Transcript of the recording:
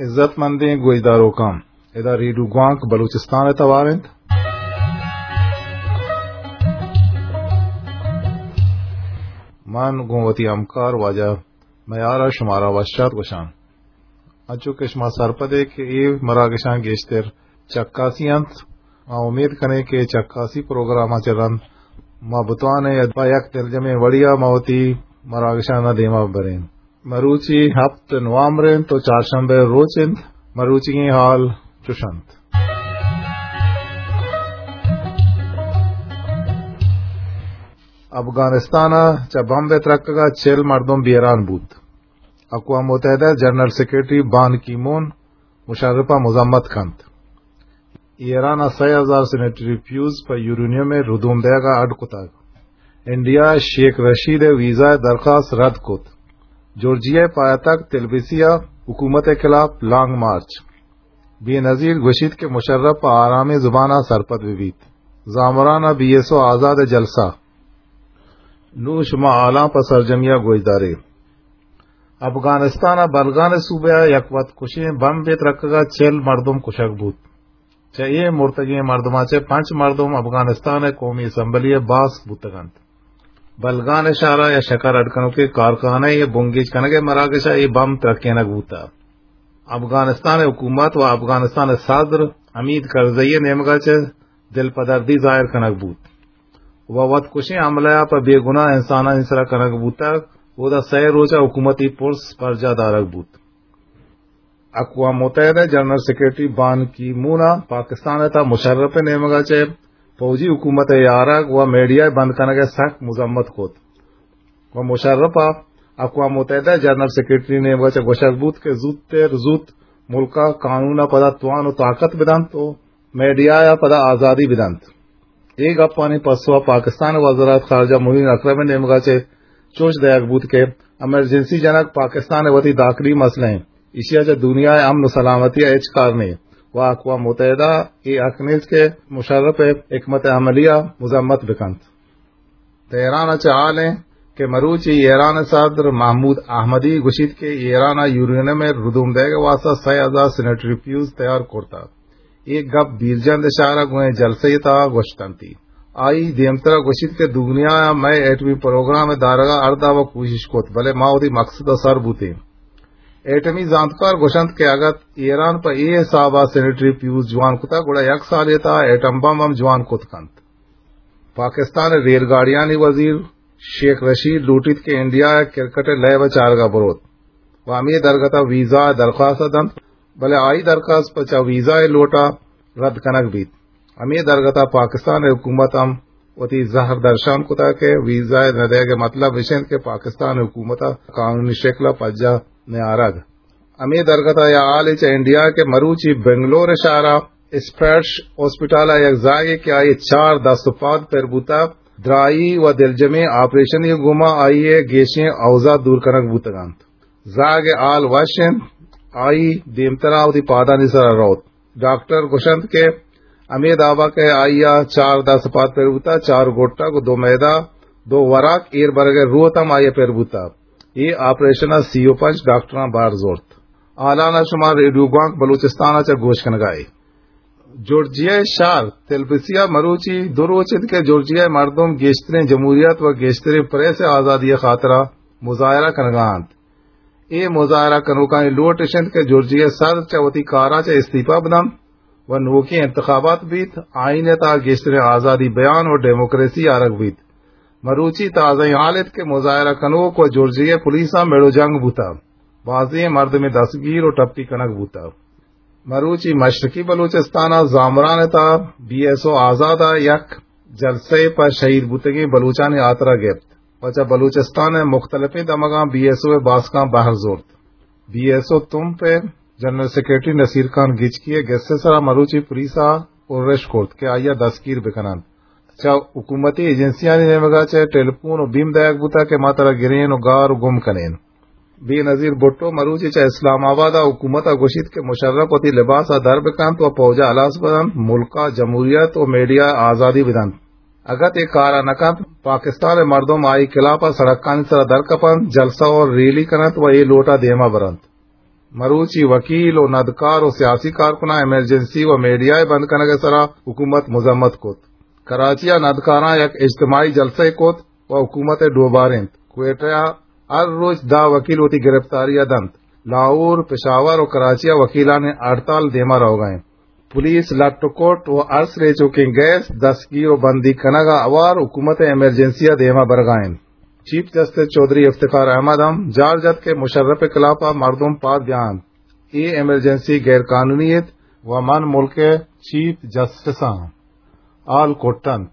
عزت مندیں گوشداروکاں، ادا ریڈیو گوانک بلوچستان ءِ توار انت۔ من گوں وتی ہمکار واجہ میار ءَ شمارا وش آت گوشاں۔ انچو کہ شما سرپد ئے کہ اے مراگشاں گیشتر چکاسی انت، ما امید کنیں کہ چکاسی پروگرام ءَ چہ رند ما بتوانیں پہ یک دلجمیں وڑے ءَ ما وتی مراگشاں دیما بریں۔ مروچی ہپت نوامبر انت و چارشنبہ ءِ روچ انت۔ مروچیگیں حال چش انت۔ افغانستان ءَ چہ بمب ءِ ترکگ ءَ چل مردم بیران بوت۔ اقوام متحدہ ءِ جنرل سیکرٹری بان کی مون مشرف ءَ مذمت کنت۔ ایران ءَ سئے ہزار سینیٹری پیوز پہ یورینیم ءِ ردوم دئیگ ءَ اڈ کتگ۔ انڈیا ءَ شیخ رشید ءِ ویزا ءِ درخواست رد کت۔ جورجیا ءِ پایتخت تلبیسی ءَ حکومت ءِ خلاف لانگ مارچ۔ بے نظیر گوشیت کہ مشرف پہ آرامیں زبان ءَ سرپد بہ بیت۔ زامران ءَ بی ایس او آزاد ءِ جلسہ۔ نوں شما حالاں پہ سرجمی ءَ گوشدارے۔ افغانستان ءِ بلگان ءِ صوبہ ءَ یک وت کشیں بمبے ترکگ ءَ چل مردم کشگ بوت۔ چہ اے مرتگیں مردماں چہ پنچ مردم افغانستان ءِ قومی اسمبلی ءِ باسک بوتگ انت۔ بلگان ءِ شہر ءَ یا شکر اڈ کنوکیں کارخانہ ءِ بنگیج کنگ ءِ مراگش ءَ اے بمب ترکینگ بوتگ۔ افغانستان ءِ حکومت و افغانستان ءِ صدر حمید کرزئی ءِ نیمگ ءَ چہ دلپدردی ظاہر کنگ بوت و وت کشیں حملہ ءَ پہ بے گناہ انسانانی سرا کنگ بوتگ، اودا سئے روچ ءَ حکومتی پرس برجاہ دارگ بوت۔ اقوام متحدہ ءِ جنرل سیکرٹری بان کی مون ءَ پاکستان ءِ تہا مشرف ءِ نیمگ ءَ چہ فوجی حکومت ءِ آرگ و میڈیا ءِ بند کنگ ءِ سک مذمت کت و مشرف ءَ اقوام متحدہ ءِ جنرل سیکرٹری ءِ نیمگ ءَ چہ گوشگ بوت کہ زوتر زوت ملک ءَ قانون ءَ پدا توان و طاقت بدنت و میڈیا ءَ پدا آزادی بدنت۔ اے گپانی پسو ءَ پاکستان ءِ وزارت خارجہ معین اکرم ءِ نیمگ ءَ چہ چوش دئیگ بوت کہ ایمرجنسی جنگ پاکستان ءِ وتی داخلی مسئلہ انت، ایشی ءَ چہ دنیا ءِ امن و سلامتی ءَ ہچ کار نیں و اقوام متحدہ ءَ اے حق نیست کہ مشرف ءِ حکمت عملی ءَ مذمت بکنت۔ تہران ءَ چہ حال انت کہ مروچی ایران ءِ صدر محمود احمدی گوشیت کہ ایران ءَ یورینیم ءِ ردوم دئیگ ءِ واستہ سئے ہزار سینیٹری پیوز تیار کرتگ۔ اے گپ بیرجند ءِ شہر ءَ گوں جلسہ ءِ تہا گوشتنتی۔ آئی دیمترا گوشیت کہ دنیا ءَ مئے ایٹمی پروگرام ءِ دارگ ءَ ہر دابا کوشش کت، بلے ما وتی مقصد ءَ سر بوتیں۔ ایٹمی زانتکار گوشنت کہ اگت ایران پہ اے حساب ءَ سینیٹری پیوز جوان کتگ، گڑا یک سالے ءِ تہا ایٹم بم ہم جوان کت کنت۔ پاکستان ءِ ریل گاڑیانی وزیر شیخ رشید لوٹیت کہ انڈیا ءَ کرکٹ ءِ لیب ءَ چارگ ءَ بروت و ہمے درگت ءَ ویزا ءِ درخواست ءَ دنت، بلے آئی درخواست پہ چہ ویزا ءِ لوٹ ءَ رد کنگ بیت۔ ہمے درگت ءَ پاکستان ءِ حکومت ہم وتی زہر درشان کتگ کہ ویزا ءِ نہ دئیگ ءِ مطلب اش انت کہ پاکستان ءِ حکومت ءَ قانونی شکل ءَ پجاہ نیارگ۔ ہمے درگت ءَ یا حالے چہ انڈیا کہ مروچی بنگلور ءِ شہر ءَ اسپرش ہاسپٹل ءِ یک زاگے کہ آئی ءِ چار دست و پاد پر بوتگ، درائی و دلجمیں آپریشنی گوما آئی ءِ گیشیں اوزات دور کنگ بوتگ انت۔ زاگ ءِ حال وش انت، آئی دیمترا وتی پادانی سرا روت۔ ڈاکٹر گوشنت کہ ہمے دابا کہ آئی ءَ چار دست پاد پر بوتگ، چار گٹگ و دو میدہ، دو وراک ایر برگ ءِ روت ہم آئی ءَ پر بوتگ۔ اے آپریشن ءَ سی و پنچ ڈاکٹراں بہر زرت۔ حالان ءَ شما ریڈیو گوانک بلوچستان ءَ چہ گوش کنگ ءَ ئے۔ جورجیا ءِ شہر تلبیسی ءَ مروچی دو روچ انت کہ جورجیا ءِ مردم گیشتریں جمہوریت و گیشتریں پریس ءِ آزادی ءِ خاطر ءَ مظاہرہ کنگ ءَ انت۔ اے مظاہرہ کنوکانی لوٹ اش انت کہ جورجیا ءِ صدر چہ وتی کار ءَ چہ استعفی بدنت و نوکیں انتخابات بیت، آئین ءِ تہا گیشتریں آزادی بیان و ڈیموکریسی آرگ بیت۔ مروچی تازہیں حال انت کہ مظاہرہ کنوک و جورجیا ءِ پولیس ءَ مڑ و جنگ بوتگ، بازیں مردمے دستگیر و ٹپی کنگ بوتگ۔ مروچی مشرقی بلوچستان ءَ زامران ءِ تہا بی ایس او آزاد ءَ یک جلسہ ءَ پہ شہید بوتگیں بلوچانی ہاترا گپت و چہ بلوچستان ءِ مختلفیں دمگاں بی ایس او ءِ باسکاں بہر زرت۔ بی ایس او تمپ ءِ جنرل سیکرٹری نصیر خان گچکی ءِ گس ءِ سرا مروچی پولیس ءَ ارش کرت کہ آئی ءَ دستگیر بکننت۔ چہ حکومتی ایجنسیانی نیمگ ءَ چہ ٹیلیفون و بیم دئیگ بوتگ کہ ما ترا گرین و گار و گم کنین۔ بے نظیر بھٹو مروچی چہ اسلام آباد ءَ حکومت ءَ گوشیت کہ مشرف وتی لباس ءَ در بکنت و پوج ءَ ہلاس بدنت، ملک ءَ جمہوریت و میڈیا ءَ آزادی بدنت۔ اگت اے کار ءَ نہ کنت، پاکستان ءِ مردم آئی خلاف ءَ سڑکانی سرا در کپنت، جلسہ و ریلی کننت و اے لوٹ ءَ دیما برنت۔ مروچی وکیل و ندکار و سیاسی کارکناں ایمرجنسی و میڈیا ء بند کنگ ء سرا حکومت مذمت کت۔ کراچی ء ندکاراں یک اجتماعی جلسہ ء کت و حکومت ء ڈوبارینت۔ کوئٹہ ء ہر روچ دہ وکیل وتی گرفتاری ء دنت۔ لاہور، پشاور و کراچی ء وکیلانی ہڑتال دیما روگا انت۔ پولیس لٹ و کٹ و ہر سریچوکیں گیس دستگیر و بندی کنگ ء ہوار حکومت ء ایمرجنسی ء دیما برگا انت۔ چیف جسٹس چوہدری افتخار احمد ہم جار جت کہ مشرف ء خلاف ء مردم پاد بیا انت۔ اے ایمرجنسی غیر قانونی ات و من ملک ء چیف جسٹس آں۔ حال کٹ انت۔